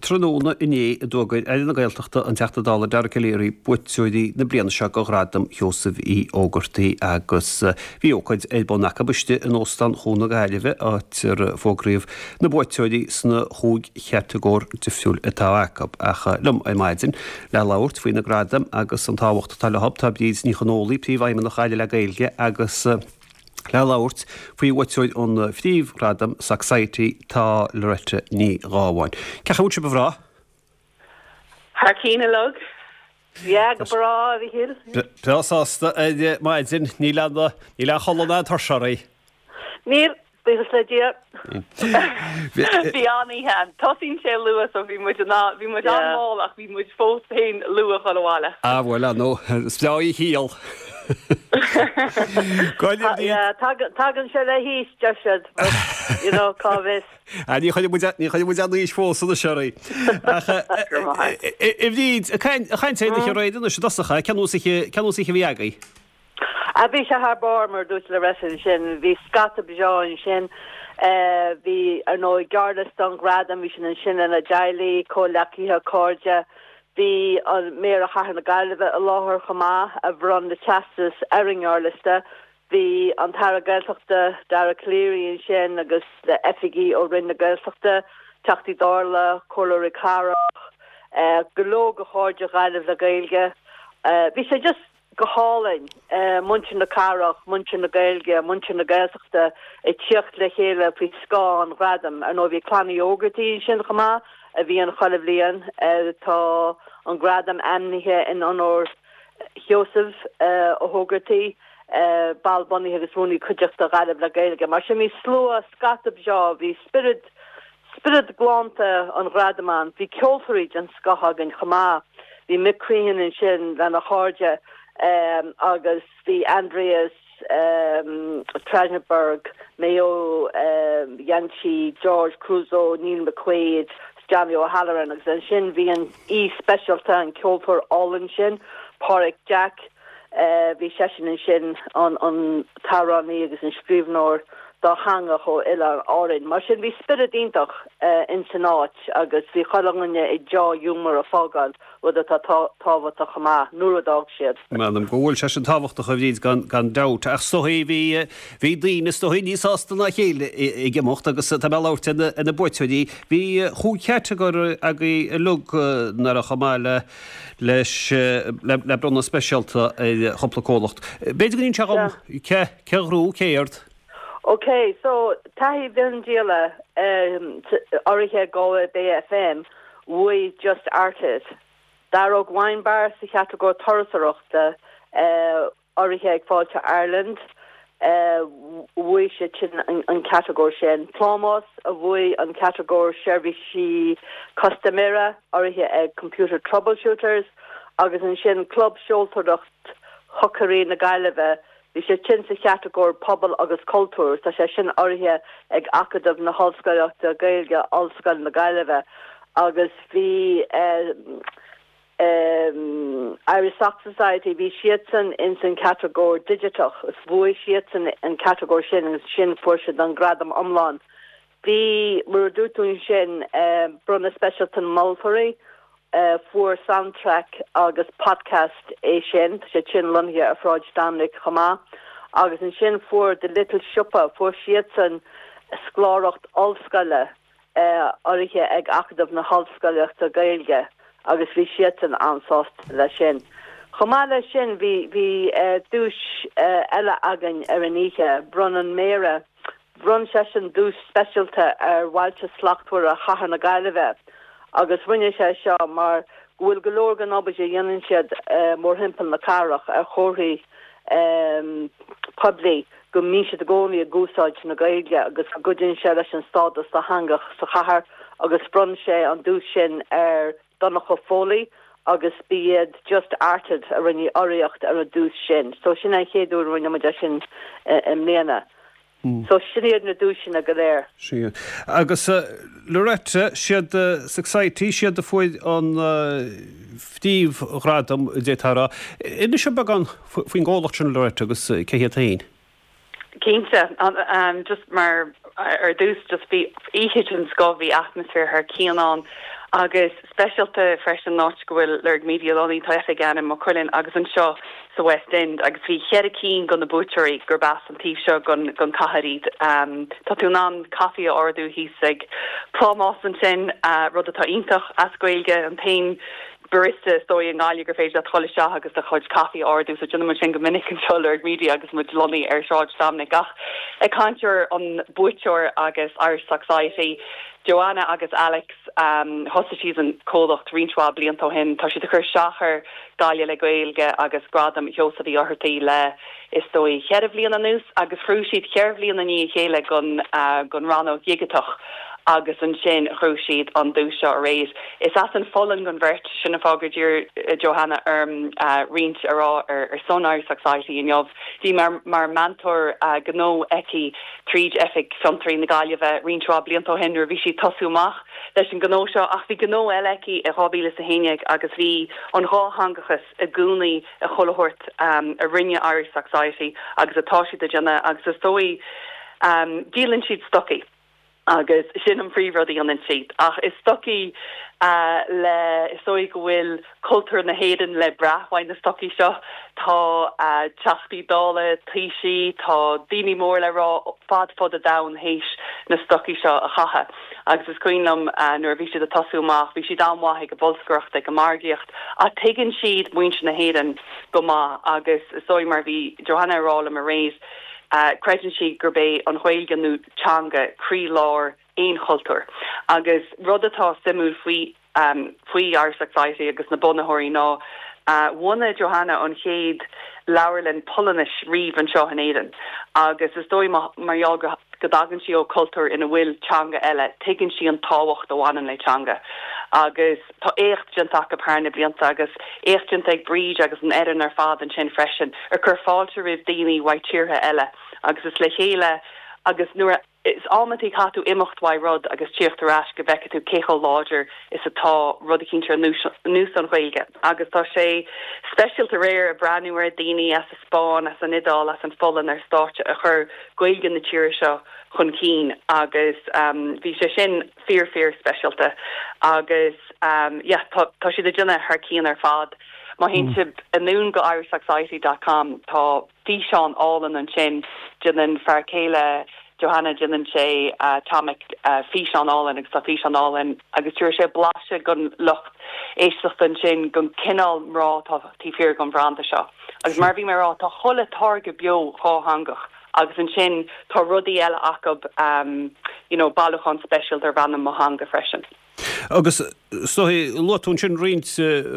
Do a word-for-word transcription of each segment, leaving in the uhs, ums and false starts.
Tráthnóna inné a d'fhógair Aire na Gaeltachta an Teachta Dála Dara Calleary buaiteoirí na bliana seo do Ghradam Sheosaimh Uí Ógartaigh agus bhí ócáid ar bun acu istigh in Óstán Chuan na Gaillimhe áit ar fógraíodh na buaiteoirí sna chúig chatagóir difriúil atá acu. Ach liom ar maidin le labhairt faoi na gradaim agus an tábhacht atá leo tá Bríd Ní Chonólaigh, Príomhfheidhmeannach Ghaillimh le Gaeilge agus Le labhairt faoi bhuaiteoir an phríomhghradam Socsciety tá Loretta Ní Ghábháin. Cén chaoi a bhfuil sibh a mhná? Thar cinn uilig. Yeah, go breá, a Mhichíl. Breá sásta ar maidin, níl aon níl aon chodladh ná tuirse oraibh. Níl, buíochas le Dia. Bhí an-oíche ann. Tosaíonn sé luath so bhí muid in ann, bhí muid an-mhall ach bhí muid fós féin luath dhul abhaile. Ah bhuel, ah no, is breá í shíol. Tagann sé le haois, deir siad, but, you know, cá bhfios. Ah, ní chuirfidh muid, ní chuirfidh muid an aois fós anois oraibh. Ach, a Bhríd, ag caint ar an oíche aréir anois i dtosach, cén nós oíche, cén nós oíche a bhí agaibh? Ah, bhí sé thar barr, mar a dúirt Loretta ansin. Bhí scata breá ansin. Bhí, ar ndóigh, gearrliosta an ghradaim, bhí siad ansin lena dteaghlaigh, comhghleacaithe, cairde. Bhí an Méara Chathair na Gaillimhe i láthair chomh maith, a bhronn na teastais ar an ngearrliosta. Bhí an tAire Gaeltachta, Dara Calleary ansin agus le oifigigh ó Roinn na Gaeltachta, Teachtaí Dála, Comhairleoirí Cathrach, go leor de chairde Ghaillimh le Gaeilge. Bhí sé just go hálainn, muintir na cathrach, muintir na Gaeilge, muintir na Gaeltachta ag tíocht le chéile faoi scáth an ghradaim. Ar ndóigh bhí Clann Uí Ógartaigh ansin chomh maith, a bhíonn chuile bhliain. Tá an gradam ainmnithe in onóir Sheosaimh Ó hÓgartaigh, ball bunaithe agus rúnaí cuideachta Ghaillimh le Gaeilge. Mar sin bhí slua, scata breá, bhí spiorad, Spiorad galánta an ghradaim ann. Bhí ceoltóirí den scoth againn chomh maith. Bhí Mick Crehan ansin lena chairde agus bhí Andreas Trajtenberg, Maigh Eo, Janci, George Crusoe, Neil McQuaid, Johnny O'Halloran agus ansin bhí an aoi speisialta, an ceoltóir álainn sin, Páraic Jack. Bhí seisean ansin, an t-amhránaí agus an scríbhneoir dátheangach ó Oileáin Árainn. Mar sin bhí spiorad iontach ins an áit agus bhí chuile dhuine i deá-ghiúmar ag fágáil, rud atá tábhachtach chomh maith, nuair a d'fhág siad. M'anam go bhfuil sé sin tábhachtach a Bhríd gan gan dabht. Ach is dóigh bhí bhí daoine is dóigh níos sásta ná a chéile ag imeacht agus tá mé ag labhairt ar na ar na buaiteoirí. Bhí chúig chatagóir agaibh uilig nach raibh chomh maith le leis le le bronnadh speisialta ar chúpla comhlacht. B'fhéidir go n-inseofá dhom cé cé a ghnóthaigh céard? Ok, so taithí mhiondíola urraithe ag Galway Bay FM, bhuaigh Just Arted. Daróg Wine Bar sa chatagóir turasóireachta, urraithe ag Fáilte Ireland, bhuaigh siad sin an catagóir sin. Plámás a bhuaigh an catagóir seirbhísí custaiméara, urraithe ag Computer Troubleshooters, agus ansin Club Seoltóireacht Chocairí na Gaillimhe, Bhí sé sin sa chatagóir Pobal agus Cultúr. Tá sé sin urraithe ag Acadamh na hOllscolaíochta Gaeilge, Ollscoil na Gaillimhe agus bhí Irish Sock Society, bhí siadsan ins an chatagóir Digiteach is bhuaigh siadsan an catagóir sin agus ansin fuair siad an gradam iomlán. Bhí, mar a dúirt tú ansin, bronnadh speisialta na moltóirí, Fuair Soundtrack agus Podcast é sin, tá sé sin lonnaithe ar Shráid Dominic chomh maith. Agus ansin fuair The Little Siopa, fuair siadsan scoláireacht ollscoile urraithe ag Acadamh na hOllscolaíochta Gaeilge agus bhí siadsan an-sásta leis sin. Chomh maith leis sin bhí bhí duais eile againn ar an oíche, bhronn an Méara, Bhronn seisean duais speisialta ar Bhailte Slachtmhara Chathair na Gaillimhe agus rinne sé seo mar go bhfuil go leor den obair a dhéanann siad mórthimpeall na cathrach ar chomharthaí poiblí go mbíonn siad i gcónaí ag úsáid na Gaeilge agus go gcuidíonn sé leis an stádas dátheangach sa chathair agus bhronn sé an duais sin ar Donncha Foley agus b'iad Just Arted a rinne urraíocht ar an duais sin. So sin an chéad uair a rinne muid é sin i mbliana. So sin iad na duaiseanna go léir. Sea. Agus Loretta, siad Socsciety, siad a fuair an phríomhghradam, d'fhéadfá a rá. Inis dom beagán faoin gcomhlacht sin, Loretta, agus cé hiad féin. Cinnte. Just mar ar dtús, just bhí oíche den scoth, bhí atmaisféar thar cionn ann Agus speisialta freisin an áit go bhfuil Lorg Media lonnaithe tá oifig ann i Maigh Cuilinn agus anseo sa West End agus bhí ceithre cinn de na buaiteoirí gurb as an taobh seo den den chathair iad. Um, tá tú in ann caife a ordú thíos ag plámás ansin uh, rud atá iontach as Gaeilge an t-aon barista is dóigh i nGaillimh gur féidir leat dul isteach agus do chuid caife a ordú so déanaim sin go minic anseo Lorg Media agus muid lonnaithe ar Sráid Dominic ach ag caint ar an buaiteoir agus Irish Socksciety. Joanna agus Alex um, thosaigh siad an comhlacht roinnt mhaith blianta ó shin tá siad ag cur isteach ar Gaillimh le Gaeilge agus Gradam Sheosaimh Uí Fháthartaigh le is dóigh ceithre bliana anuas agus ghnóthaigh siad ceithre bliana i ndiaidh a chéile den uh, den rannóg dhigiteach agus ansin ghnóthaigh siad an duais seo aréir. Is as an Pholainn don bheirt sin an fáth gur d'iarr Johanna orm uh, roinnt a rá ar, ar son Irish Socksciety inniu. Bhí mar, mar mentor uh, gnó aici tríd Oifig Fiontraí na Gaillimhe roinnt mhaith blianta ó shin nuair bhí sí ag tosú amach leis an gnó seo ach bhí gnó eile aici i dhá mhíle a haon déag agus bhí an dátheangachas i gcónaí i chuile shórt um, a rinne Irish Socksciety agus atá siad a dhéanamh agus is dóigh um, díolann siad stocaí. agus sin an príomhrud a dhéanann siad ach is stocaí uh, le is dóigh go bhfuil cultúr na hÉireann le brath uaidh na stocaí seo tá uh, teachtaí dála taoisigh tá daoine mór le rá fad fud an domhain théis na stocaí seo a chaitheamh agus is cuimhin liom uh, nuair bhí siad ag tosú amach bhí siad an-mhaith ag bolscaireacht ag an margaíocht a tuigeann siad muintir na hÉireann go maith agus is dóigh mar bhí Johanna rá liom aréir uh, creideann sí gurb é an Ghaeilge nó teanga croílár aon chultúr. Agus rud atá suimiúil faoi um, faoi Irish Socksciety agus na bunaitheoirí ná uh, bhunaigh Johanna an chéad leabharlann Polainnis riamh anseo in Éirinn. Agus is dóigh mar go go dtagann sí ó cultúr ina bhfuil teanga eile, tuigeann sí an tábhacht a bhaineann le teanga. Agus tá éacht déanta acu thar na blianta agus éacht déanta ag Bríd agus an fhoireann ar fad ansin freisin, ar chur fáilte roimh daoine ó thíortha eile, agus is le chéile agus nuair is amantaí caithfidh tú imeacht uaidh rud agus teacht ar ais go bhfeicfidh tú cé chomh láidir is atá rud éicint ar nós an Ghaeilge. Agus tá sé speisialta aréir ag breathnú ar daoine as an Spáinn, as an Iodáil, as an Pholainn ar stáitse a chur Gaeilge na tíre seo chun cinn agus um, bhí sé sin fíor fíor speisialta agus um, yeah, tá, tá siad ag déanamh thar cionn ar fad. Má théann sibh anonn go irishsocksciety.com tá físeán álainn ansin déanann fear céile Johanna déanann sé uh, Tomic uh, físeán álainn agus tá físeán álainn agus tugann sé blaiseadh don lucht éisteachta ansin den cineál mná atá taobh thiar den bhranda seo. Agus mar bhí mé ag rá tá chuile táirge beo dátheangach. agus ansin tá rudaí eile acu um, you know, bailiúchán speisialta darb ainm Mo Theanga freisin. Agus so luaigh tú ansin roinnt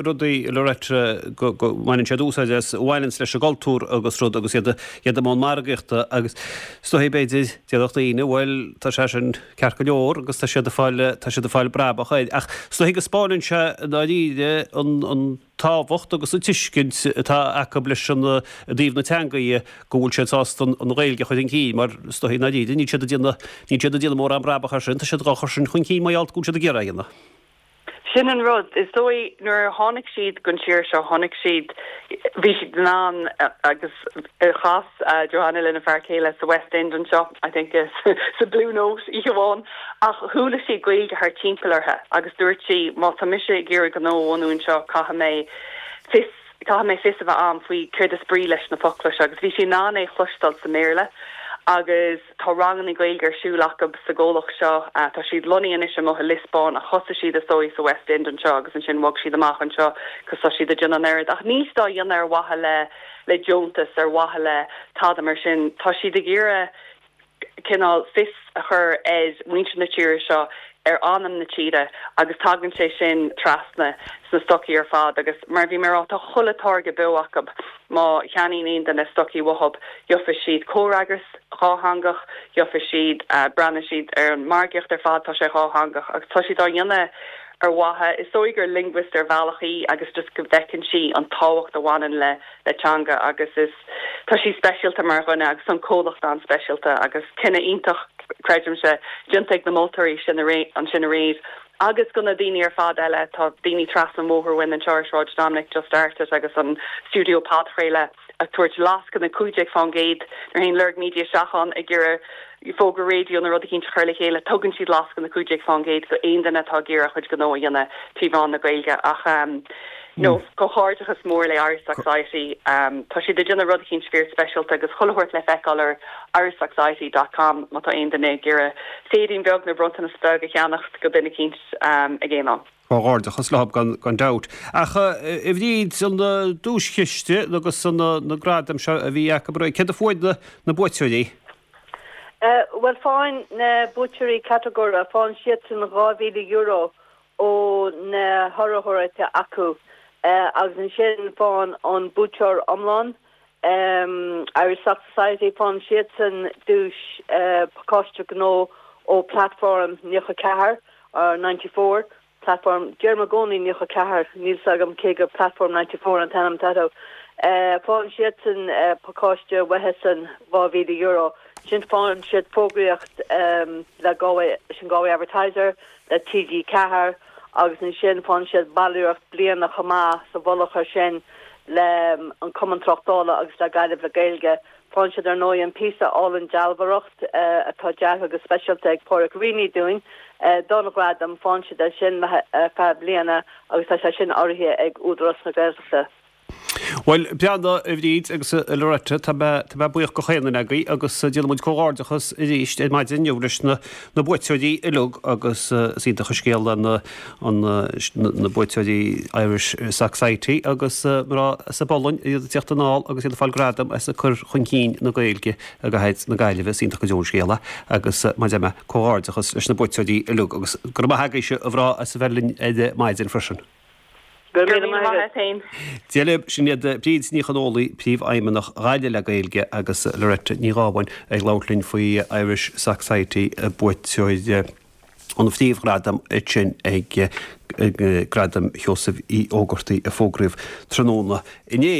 rudaí le rete go mbaineann siad úsáid as bhaineann leis an gcultúr agus rud agus iad iad i mbun margaíochta agus so b'fhéidir déarfadh daoine bhuel tá sé sin ceart go leor agus tá siad ag fáil tá siad ag fáil brabach ach so go spáann sé dáiríre an an tábhacht agus an tuiscint atá acu leis an dtaobh na teangaí go bhfuil siad sásta an Ghaeilge a chur chun cinn mar sto na ní siad déna ní siad déanamh mórán brabach as sin, tá siad á chur sin chun cinn mar go bhfuil siad ag iarraidh. Sin an rud is dóigh nuair a tháinig siad don tír seo tháinig siad bhí siad an agus chas uh, Johanna lena fear céile sa West End anseo I think is sa Blue Note oíche amháin ach chuala sí Gaeilge thart timpeall orthu agus dúirt sí má tá mise ag iarraidh gnó a bhunú anseo caithfidh mé fios caithfidh mé fios a bheith agam faoi céard is brí leis na focla agus bhí sí in ann é a chloisteáil sa mBéarla agus tá ranganna Gaeilge ar siúl acu sa gcomhlacht seo uh, tá siad lonnaithe anois amuigh i Liospóin a thosaigh siad is dóigh sa West End anseo agus ansin bhog siad amach anseo cos tá siad ag déanamh an oiread ach níl siad á dhéanamh ar mhaithe le le deontas ar mhaithe le tada mar sin tá siad ag iarraidh cineál fios a chur ar mhuintir na tíre seo ar anam na tíre agus tagann sé sin trasna sna stocaí ar fad agus mar bhí mé ag rá tá chuile táirge beo acu má cheannaíonn aon duine stocaí uathu gheobhaidh siad comhfhreagras dátheangach gheobhaidh siad uh, breathnóidh siad ar an margaíocht ar fad tá sé dátheangach agus tá siad á dhéanamh ar mhaithe is dóigh gur linguist ar bhealach í agus just go bhfeiceann sí an tábhacht a bhaineann le le teanga agus is tá sí speisialta mar dhuine agus an comhlacht an-speisialta agus cinneadh iontach creidimse déanta ag na moltóirí sin ansin aréir. Agus go na daoine ar fad eile tá daoine trasna an bhóthair uainn anseo ar Sráid Dominic just started agus an studio podchraoladh ag tabhairt lascaine cúig déag faoin gcéad ar aon Lorg Media seachán ag iarraidh fógra raidió nó rud eicínt a chur le chéile, tugann siad lascaine na cúig déag faoin gcéad go aon duine atá ag iarraidh a chuid gnó a dhéanamh trí mheán na Gaeilge ach um, no comhghairdeachas mór le Irish Socksciety um, tá siad ag déanamh rud eicínt fíor speisialta agus chuile shórt le feiceáil ar irishsocksciety dot com má tá aon duine ag iarraidh séidín beag nó bronntanas beag a cheannacht go duine eicínt um, ag aon am. Comhghairdeachas leo gan, gan dabht. Ach a Bhríd an duaischiste agus an na gradaim seo a bhí acu céard a fuair na, na buaiteoirí? Uh, well faigheann na buaiteoirí catagóire faigheann siadsan dhá mhíle euro ó na hurraitheoirí atá acu uh, agus ansin faigheann an buaiteoir iomlán um, Irish Sock Society faigheann siadsan duais uh, pacáiste gnó ó Platform nócha ceathair or ninety-four Platform deirim i gcónaí nócha ceathair níl a fhios agam cé gur Platform ninety-four an t-ainm atá uh, faigheann siadsan uh, pacáiste uathusan dhá mhíle euro sin faigheann siad fógraíocht um, le Galway sin Galway Advertiser le T G ceathair agus ansin faigheann siad ballraíocht bliana chomh maith sa mhullach air sin le um, an Cumann Tráchtála agus le Gaillimh le Gaeilge faigheann siad ar ndóigh an píosa álainn dealbhóireacht uh, atá deartha go speisialta ag Pádraig Reaney dúinn uh, don ghradam faigheann siad é sin le uh, feadh bliana agus tá sé sin urraithe ag Údarás na Gaeltachta. Well breanda a Bhríd agus a Loretta tá mé buíoch go chaon duine agaibh agus déanaimid comhghairdeachas arís ar maidin inniu leis na na buaiteoirí uilig agus is iontach an scéal na na buaiteoirí Irish Socksciety agus mná sa bPolainn iad ag teacht anall agus iad ag fáil gradam as a cur chun cinn na Gaeilge i gcathair na Gaillimhe is iontach go deo an scéal é agus mar a deir mé comhghairdeachas leis na buaiteoirí uilig agus go raibh maith agaibhse a mhná as a bheith linn ar maidin freisin. Go raibh míle maith agat. Féin. Dia libh sin iad Bríd Ní Chonólaigh príomhfheidhmeannach Ghaillimh le Gaeilge agus Loretta Ní Ghábháin ag labhairt linn faoi Irish Socksciety buaiteoir an phríomhghradam sin ag Gradam Sheosaimh Uí Ógartaigh a fógraíodh tráthnóna inné.